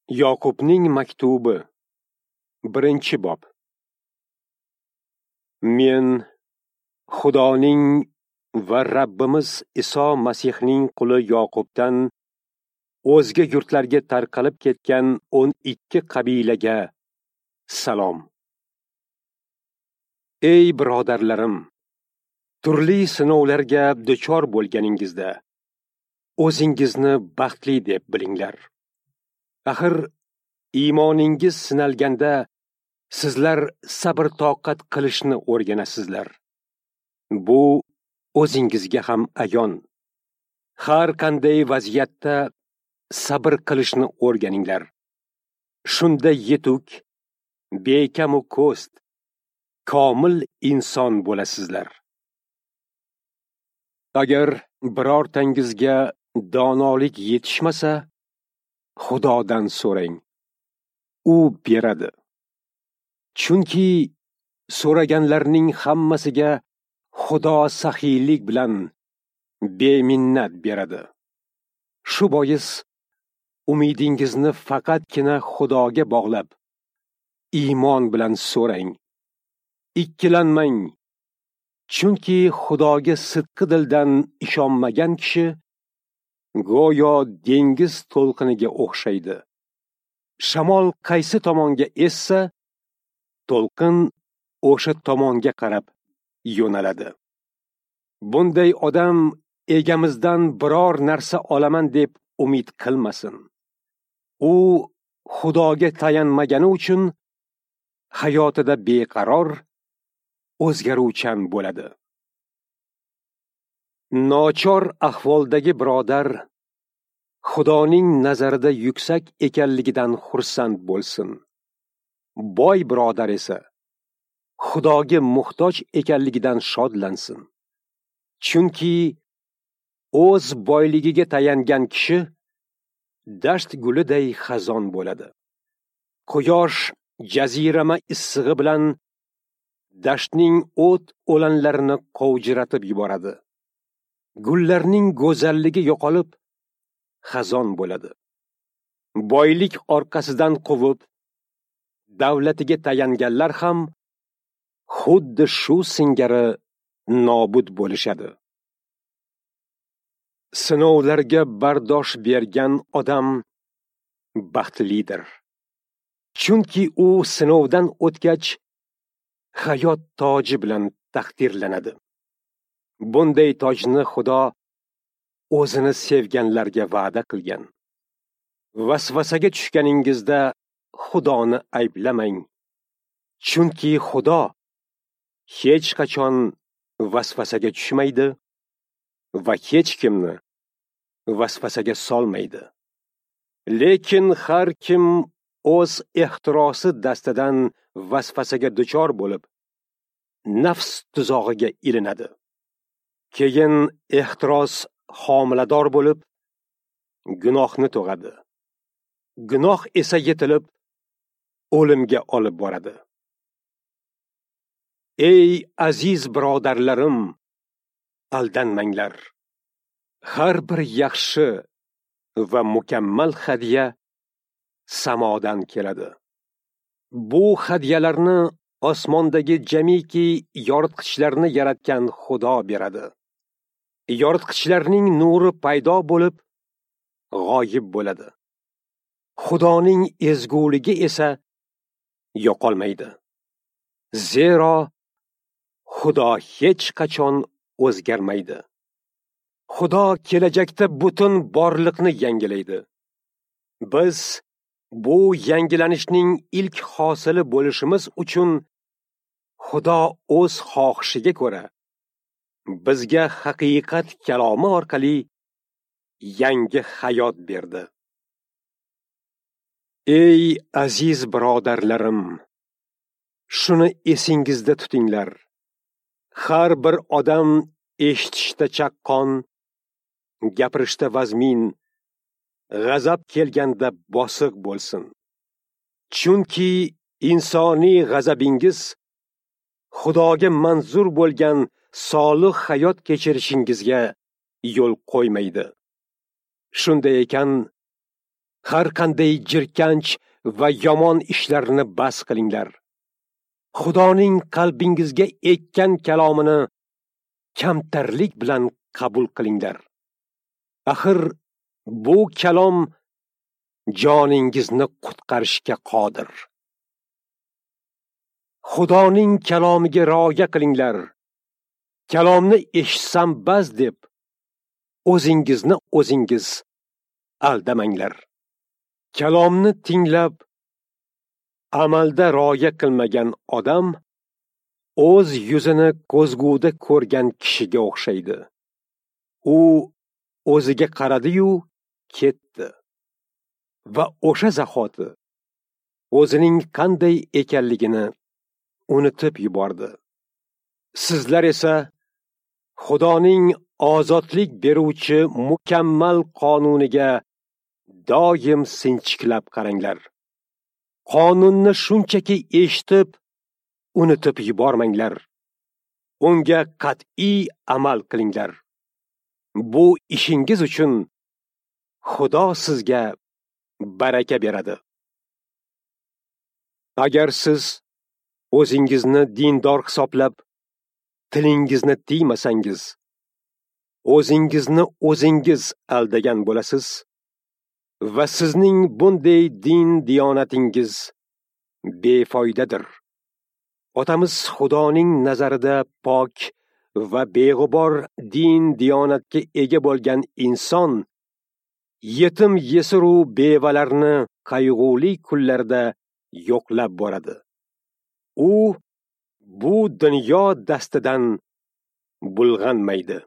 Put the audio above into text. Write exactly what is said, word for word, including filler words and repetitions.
Yoqubning maktubi, birinchi bob. Men Xudoning va Rabbimiz Iso Masihning quli Yoqubdan o'zga yurtlarga tarqalib ketgan o'n ikki qabilaga salom. Ey birodarlarim, turli sinovlarga duchor bo'lganingizda o'zingizni baxtli deb bilinglar. Axir iymoningiz sinalganda sizlar sabr-toqat qilishni o'rganasizlar. Bu o'zingizga ham ayon. Har qanday vaziyatda sabr qilishni o'rganinglar. Shunda yetuk, bekamu ko'st, komil inson bo'lasizlar. Agar birortangizga donolik yetishmasa, Xudodan so'rang. U beradi. Chunki so'raganlarning hammasiga Xudo saxiylik bilan beminnat beradi. Shu bois umidingizni faqatgina Xudoga bog'lab, iymon bilan so'rang. Ikkilanmang. Chunki Xudoga sidqi dildan ishonmagan kishi go'yo dengiz to'lqiniga o'xshaydi. Shamol qaysi tomonga essa, to'lqin o'sha tomonga qarab yo'naladi. Bunday odam egamizdan biror narsa olaman deb umid qilmasin. U Xudoga tayanmagani uchun hayotida beqaror, o'zgaruvchan bo'ladi. Nochor ahvoldagi birodar Xudoning nazarida yuksak ekanligidan xursand bo'lsin. Boy birodar esa Xudoga muhtoj ekanligidan shodlansin. Chunki o'z boyligiga tayangan kishi dasht guliday xazon bo'ladi. Quyosh jazirama issig'i bilan dashtning o't o'lanlarini qovjiratib yuboradi. Gullarning go'zalligi yo'qolib, xazon bo'ladi. Boylik orqasidan quvib, davlatiga tayanganlar ham xuddi shu singari nobud bo'lishadi. Sinovlarga bardosh bergan odam baxtlidir. Chunki u sinovdan o'tgach, hayot toji bilan taqdirlanadi. Bunday tojni Xudo o'zini sevganlarga va'da qilgan. Vasvasaga tushganingizda Xudoni ayblamang. Chunki Xudo hech qachon vasvasaga tushmaydi va hech kimni vasvasaga solmaydi. Lekin har kim o'z ehtirosi dastidan vasvasaga duchor bo'lib, nafs tuzog'iga ilinadi. Keyin ehtiros homilador bo'lib, gunohni tug'adi. Gunoh esa yetilib, o'limga olib boradi. Ey aziz birodarlarim, aldanmanglar. Har bir yaxshi va mukammal hadya samodan keladi. Bu hadyalarni osmondagi jamiki yoritqichlarni yaratgan Xudo beradi. Yoritqichlarning nuri paydo bo'lib, g'oyib bo'ladi. Xudoning ezguligi esa yo'qolmaydi. Zero Xudo hech qachon o'zgarmaydi. Xudo kelajakda butun borliqni yangilaydi. Biz bu yangilanishning ilk hosili bo'lishimiz uchun Xudo o'z xohishiga ko'ra bizga haqiqat kalomi orqali yangi hayot berdi. Ey aziz birodarlarim, shuni esingizda tutinglar. Har bir odam eshitishda chaqqon, gapirishda vazmin, g'azab kelganda bosiq bo'lsin. Chunki insoniy g'azabingiz Xudoga manzur bo'lgan solih hayot kechirishingizga yo'l qo'ymaydi. Shunday ekan, Har qanday jirkanch va yomon ishlarni bas qilinglar. Xudoning qalbingizga ekkan kalomini kamtarlik bilan qabul qilinglar. Axir bu kalom joningizni qutqarishga qodir. Xudoning kalomiga rioya qilinglar. Kalomni eshitsam bas deb o'zingizni o'zingiz aldamanglar. Kalomni tinglab amalda rioya qilmagan odam o'z yuzini ko'zguda ko'rgan kishiga o'xshaydi. U o'ziga qaradi-yu ketdi va o'sha zahoti o'zining qanday ekanligini unutib yubordi. Sizlar esa Xudoning ozodlik beruvchi mukammal qonuniga doim sinchiklab qaranglar. Qonunni shunchaki eshitib, unutib yubormanglar. Unga qat'iy amal qilinglar. Bu ishingiz uchun Xudo sizga baraka beradi. Agar siz o'zingizni dindor hisoblab, tilingizni tiymasangiz, o'zingizni o'zingiz aldagan bo'lasiz va sizning bunday din diyonatingiz befoydadir. Otamiz Xudoning nazarida pok va beg'ubor din diyonatga ega bo'lgan inson yetim yesiru bevalarni qayg'uli kunlarda yo'qlab boradi. U bu dunyo dastidan bulg'anmaydi.